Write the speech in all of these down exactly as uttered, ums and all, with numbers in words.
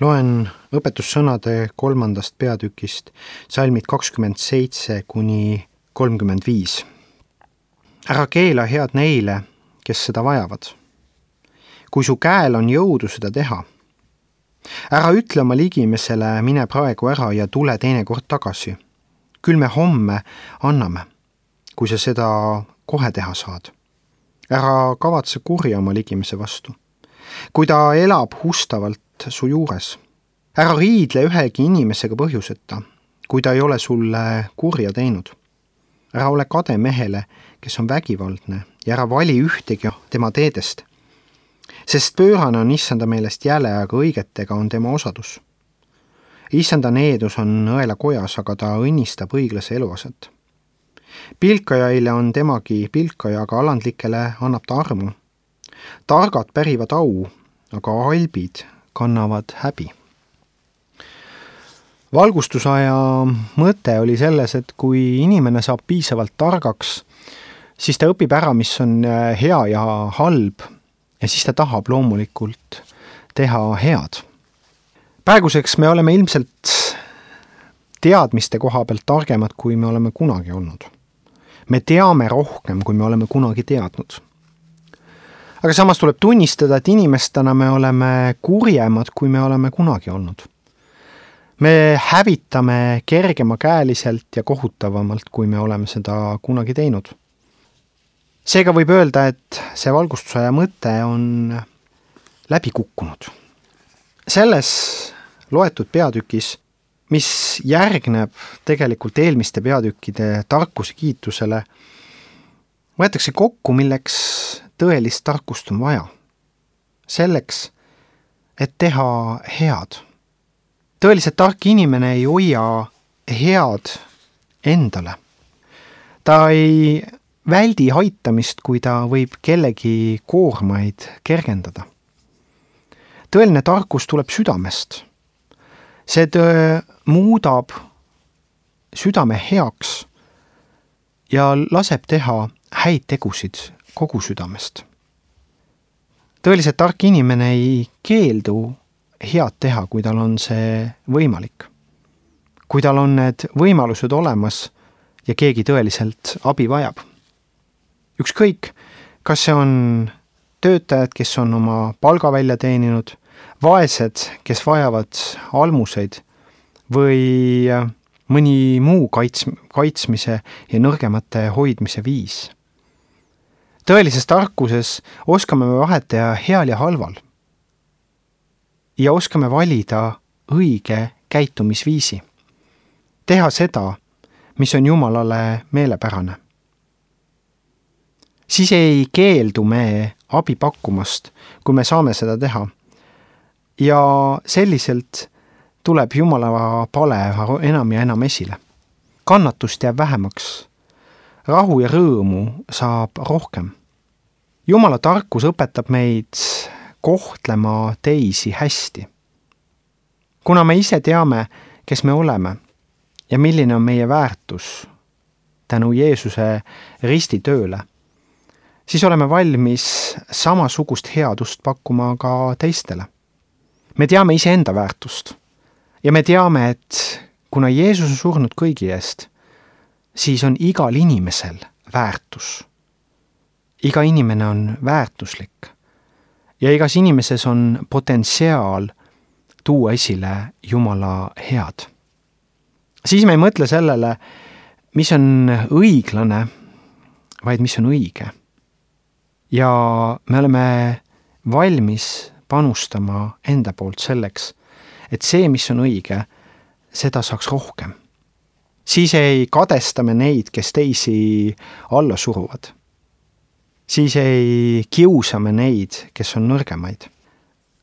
Loen õpetussõnade kolmandast peatükist salmid kakskümmend seitse kuni kolmkümmend viis. Ära keela head neile, kes seda vajavad. Kui su käel on jõudu seda teha. Ära ütle oma ligimesele, mine praegu ära ja tule teinekord tagasi. Küll me homme anname, kui sa seda kohe teha saad. Ära kavatse kurja oma ligimese vastu. Kui ta elab hustavalt su juures. Ära riidle ühegi inimesega põhjuseta, kui ta ei ole sulle kurja teinud. Ära ole kade mehele, kes on vägivaldne, ja ära vali ühtegi tema teedest. Sest pöörane on issanda meelest jäle, aga õigetega on tema osadus. Issanda needus on õela kojas, aga ta õnnistab õiglase eluaset. Pilkajaile on temagi pilkaja, aga alandlikele annab ta armu. Targad pärivad au, aga albid kannavad häbi. Valgustusaja mõte oli selles, et kui inimene saab piisavalt targaks, siis ta õpib ära, mis on hea ja halb, ja siis ta tahab loomulikult teha head. Praeguseks me oleme ilmselt teadmiste koha pealt targemad, kui me oleme kunagi olnud. Me teame rohkem, kui me oleme kunagi teadnud. Aga samas tuleb tunnistada, et inimestena me oleme kurjemad, kui me oleme kunagi olnud. Me hävitame kergemakäeliselt ja kohutavamalt, kui me oleme seda kunagi teinud. Seega võib öelda, et see valgustusaja mõte on läbi kukkunud. Selles loetud peatükis, mis järgneb tegelikult eelmiste peatükkide tarkuse kiitusele, võetakse kokku, milleks tõelist tarkust on vaja. Selleks, et teha head. Tõeliselt tark inimene ei hoia head endale. Ta ei väldi haitamist, kui ta võib kellegi koormaid kergendada. Tõeline tarkus tuleb südamest. See töö muudab südame heaks ja laseb teha häid tegusid kogu südamest. Tõeliselt tark inimene ei keeldu head teha, kui tal on see võimalik. Kui tal on need võimalused olemas ja keegi tõeliselt abi vajab. Ükskõik, kas see on töötajad, kes on oma palga välja teeninud, vaesed, kes vajavad almuseid või mõni muu kaits- kaitsmise ja nõrgemate hoidmise viis. Tõelises tarkuses oskame me vahet teha heal ja halval ja oskame valida õige käitumisviisi. Teha seda, mis on Jumalale meelepärane. Siis ei keeldu me abi pakkumast, kui me saame seda teha. Ja selliselt tuleb Jumala pale enam ja enam esile. Kannatust jääb vähemaks. Rahu ja rõõmu saab rohkem. Jumala tarkus õpetab meid kohtlema teisi hästi. Kuna me ise teame, kes me oleme ja milline on meie väärtus tänu Jeesuse ristitööle, siis oleme valmis samasugust headust pakkuma ka teistele. Me teame ise enda väärtust ja me teame, et kuna Jeesus on surnud kõigi eest, siis on igal inimesel väärtus. Iga inimene on väärtuslik ja igas inimeses on potentsiaal tuua esile Jumala head. Siis me ei mõtle sellele, mis on õiglane, vaid mis on õige. Ja me oleme valmis panustama enda poolt selleks, et see, mis on õige, seda saaks rohkem. Siis ei kadestame neid, kes teisi alla suruvad. Siis ei kiusame neid, kes on nõrgemaid,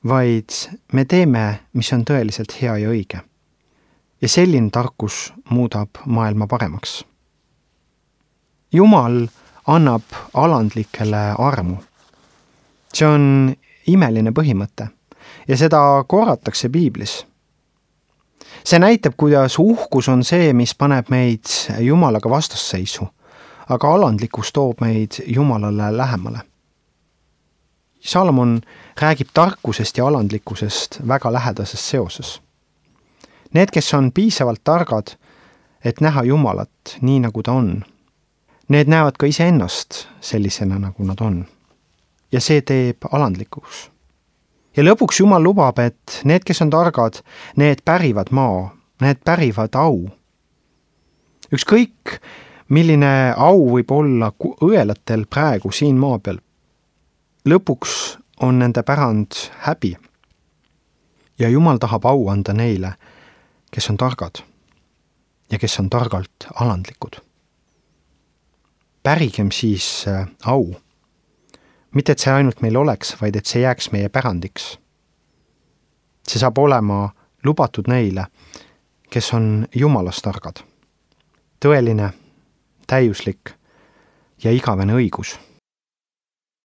vaid me teeme, mis on tõeliselt hea ja õige. Ja selline tarkus muudab maailma paremaks. Jumal annab alandlikele armu. See on imeline põhimõte ja seda korratakse Piiblis. See näitab, kuidas uhkus on see, mis paneb meid Jumalaga vastasseisu, aga alandlikkus toob meid Jumalale lähemale. Salomon räägib tarkusest ja alandlikkusest väga lähedases seoses. Need, kes on piisavalt targad, et näha Jumalat nii, nagu ta on, need näevad ka iseennast sellisena, nagu nad on. Ja see teeb alandlikuks. Ja lõpuks Jumal lubab, et need, kes on targad, need pärivad maa, need pärivad au. Ükskõik, milline au võib olla õelatel praegu siin maa peal. Lõpuks on nende pärand häbi. Ja Jumal tahab au anda neile, kes on targad ja kes on targalt alandlikud. Pärigem siis au. Mitte, et see ainult meil oleks, vaid et see jääks meie pärandiks. See saab olema lubatud neile, kes on Jumalast targad. Tõeline, täiuslik ja igavene õigus.